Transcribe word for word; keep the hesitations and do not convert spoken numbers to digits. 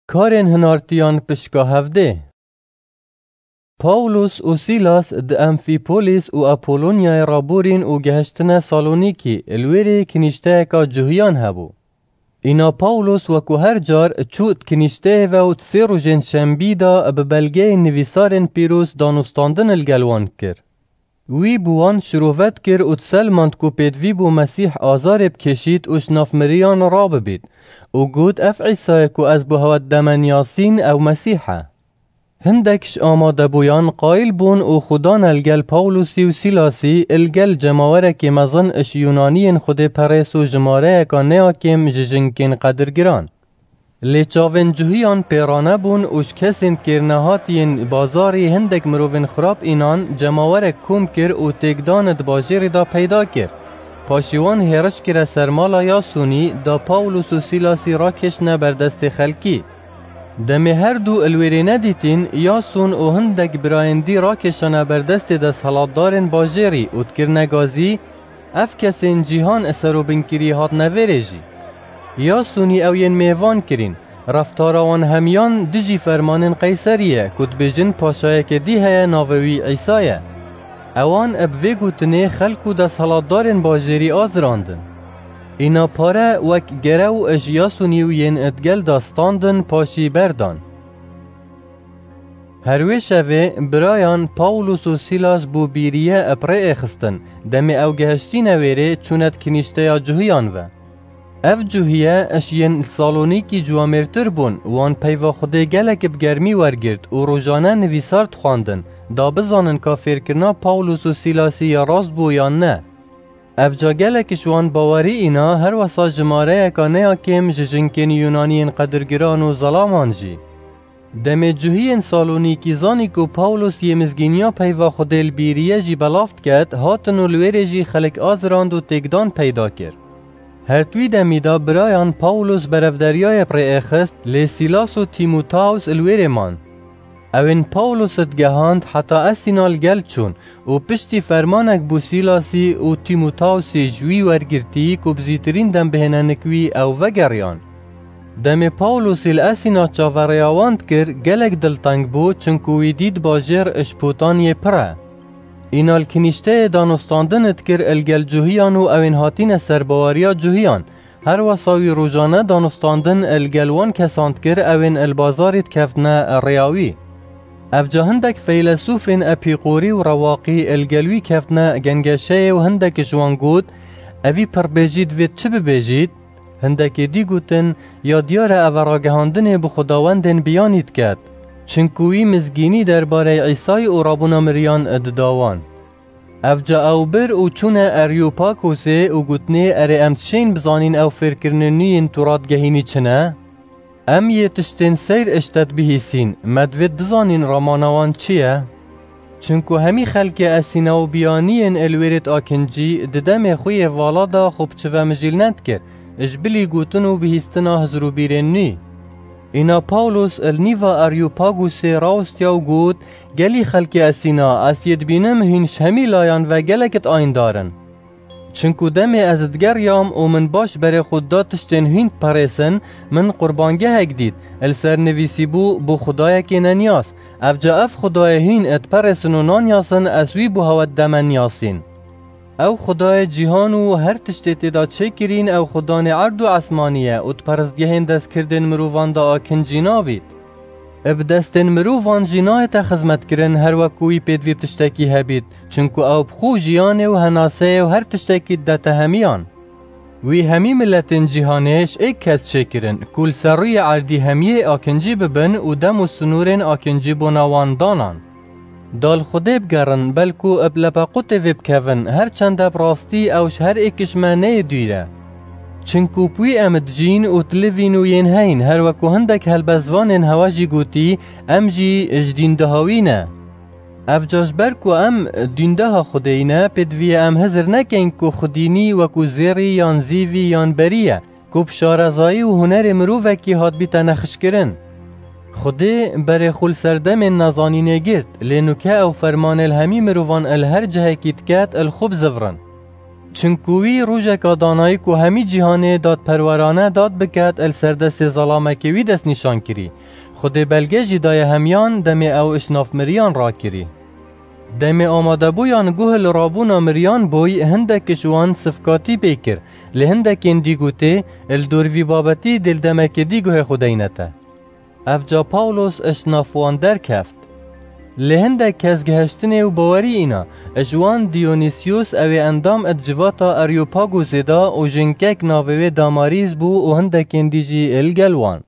Karên hinartiyan pişka hevdê. Pawlos û Sîlas di Emfîpolis û Apolonyayê raborîn û gehiştine Salonîkî, li wêrê kinîşteyeka cuhiyan hebû. Îna Pawlos wekû her car çû di kinîşteyê ve û di sê rojên şembî de bi belgeyên nivîsarên pîroz danûstandin li gel wan dikir. Wî bi wan şirove dikir û diselmand ku pêdivî bû Mesîh azarê bikêşît û ji nav miriyan rabibît û got, Ev Îsa ye ku ez bi hewe dideme niyasîn, ew Mesîh e. Hindek ji amadebûyan qayîl bûn û xwe dane li gel Pawlosî û Sîlasî, li gel cemawerekê mezin ji Yûnaniyên Xwedê perês û jimareyeka neyakêm ji jinkên qedirgiran. Lê çavên cuhiyan pêrane bûn û ji kesên kêrnehatiyên bazarî hindek mirovên xirab înan cemawerek kom kir û têkdan di bajêrê de peyda kir. Paşî wan hêriş kire ser mala Yasûnî, da Pawlos û Sîlasî rakêştine ber destê xelkî. Demê her du li wêrê nedîtîn, Yasûn û hindek birayên dî rakêşane ber destê desthilatdarên bajêrî û dikirine gazî, Ev kesên cîhan serobinkirî hatine vêrê jî. Yasûnî ew yên mêvan kirîn, reftara wan hemiyan dijî fermanên Qeyserî ye, ku dibêjin paşayeke dî heye navê wî Îsa ye. Ewan bi vê gotinê xelk û desthilatdarên bajêrî azirandin. Îna pare wek gerew ji Yasûnî û yên di gel de standin paşî berdan. Her wê şevê birayan Pawlos û Sîlas bû bîriye bi rê êxistin. Demê ew gehiştîne wêrê, çûne di kinîşteya cuhiyan ve. Ev cuhiye ji yên li Salonîkî ciwamêrtir bûn, wan peyva Xwedê gelek bi germî wergirt û rojane nivîsar dixwandin, da bizanin ka fêrkirina Pawlos û Sîlasî ya rast bû yan ne. Evca gelek ji wan bawerî îna, her wesa jimareyeka neya kêm ji jinkên Yûnaniyên qedirgiran û zelaman jî. Demê cuhiyên Salonîkî zanî ku Pawlos yê mizgîniya peyva Xwedê li bîriye jî belav diket, hatin û li wêrê jî xelk azirand û têkdan peyda kir. Her di wî demî de birayan Pawlos berevderiyayê bi rê êxist, lê Sîlas û Tîmotaus li wêrê man. Ewên Pawlos digehand heta Esîna li gel çûn û piştî fermanek bû Sîlasî û Tîmotausî ji wî wergirtî ku bi zîtirîn dem bihêne nik wî, ew vegeriyan. Demê Pawlosî li Esîna çaverêya wan dikir, gelek dilteng bû, çinku wî dît bajêr ji potaniyê pir e. Îna li kinîşteyê danûstandin dikir li gel cuhiyan û ewên hatîne ser baweriya cuhiyan, her wesa wî rojane danûstandin li gel wan kesan dikir, ewên li bazarî dikevtine rêya wî. Evca hindek feylesûfên Epîqorî û Rewaqî li gel wî kevtine gengeşeyê û hindek ji wan got, Evî pirbêjî divêt çi bibêjît? Hindekê dî gotin, Ya diyar e, ev e ragihandinê bi xwedawendên biyanî diket. Çinku wî mizgînî derbarê Îsayî û rabûna miriyan dida wan. Evca ew bir û çûne Eryopakosê û gotinê, Erê, em dişên bizanîn ew fêrkirinên nû yên tu radigehînî çi ne? Em yê tiştên seyr ji te dibihîsîn, me divêt bizanîn ramana wan çi ye? Çinku hemî xelkê Esîna û biyaniyên li wêrêt akincî di demê xwe yê vala de xwe bi çi ve mijîl nedikir, ji bilî gotin û bihîstina hizir û bîrên nû. Îna Pawlos li nîva Aryopagosê rawestiya û got, Gelî xelkê Esîna, ez yê dibînim hîn ji hemî layan ve gelek diayîndar in. Çinku demê ez digeriyam û min baş berê xwe da tiştên hîn diperêsin, min qurbangehek dît, li ser nivîsîbû, Bo xwedayekê neniyas. Evca ev xwedayê hîn diperêsin û nanyasin, ez wî bo hewe dideme niyasîn. Ew xwedayê cîhan û her tiştê tê de çêkirîn, ew xwedanê erd û esmanî ye û di peristgehên destkirdên mirovan de akincî nabît. Bi destên mirovan jî nayête xizmetkirin, her wek ku wî pêdivî bi tiştekî hebît, çinku ew bi xwe jiyanê û henaseyê û her tiştekî didete hemiyan. Wî hemî miletên cîhanê ji êk kes çêkirin, ku li ser rûyê erdî hemiyê akincî bibin û dem û sinûrên akincî bona wan danan. Da li Xwedê bigerin, belku bi lepequtê vê bikevin, her çende bi rastî ew ji her êk ji me neyê dûr e. Çinku bi wî em dijîn û dilivîn û yên heyîn, her wek ku hindek helbestvanên hewe jî gotî, em jî ji dîndeha wî ne. Evca ji ber ku em dîndeha Xwedêyî ne, pêdivî ye em hizir nekeyn ku xwedînî wekû zêrî yan zîvî yan berî ye, ku bi şarezayî û hunerê mirovekî hat bîte nexişkirin. Xwedê berê xwe li serdemên nezanînê girt, lê nuke ew fermanê li hemî mirovan li her cihekî diket li xwe bizivirin. Çinku wî rojeka danayî ku hemî cîhanê dadperwerane dad biket, li ser destê zelamekê wî destnîşan kirî. Xwedê belge jî daye hemiyan demê ew iş nav miriyan rakirî. Demê amadebûyan guh li rabûna miriyan bûy, hindek ji wan sifkatî pê kir. Lê hindekên dî gotê, li dor vî babetî dê li demekê dî guhê xwe deyne te. Evca Pawlos iş nav wan derkeft. Lê hindek kes gihiştinê û bawerî îna, ji wan Diyonîsyos ewê endam di civata Areopagosê de û jinkek navê wê Damarîs bû û hindekên dî jî li gel wan.